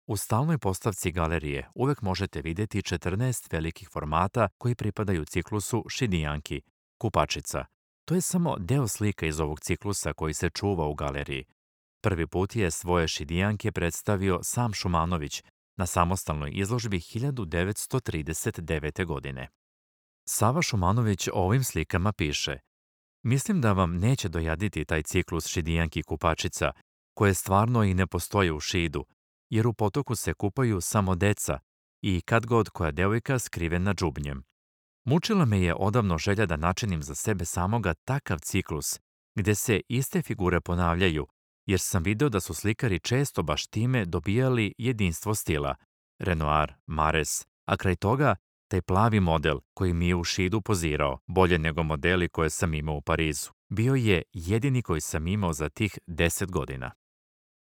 U stalnoj postavci galerije uvek možete vidjeti 14 velikih formata koji pripadaju ciklusu Šidijanki, kupačica. To je samo deo slika iz ovog ciklusa koji se čuva u galeriji. Prvi put je svoje Šidijanke predstavio sam Šumanović na samostalnoj izložbi 1939. godine. Sava Šumanović o ovim slikama piše: Mislim da vam neće dojaditi taj ciklus Šidijanki kupačica, koje stvarno i ne postoje u Šidu, jer u potoku se kupaju samo deca i kad god koja devojka skrivena džubnjem. Mučila me je odavno želja da načinim za sebe samoga takav ciklus, gde se iste figure ponavljaju, jer sam video da su slikari često baš time dobijali jedinstvo stila, Renoir, Mares, a kraj toga taj plavi model koji mi je u Šidu pozirao, bolje nego modeli koje sam imao u Parizu. Bio je jedini koji sam imao za tih 10 godina.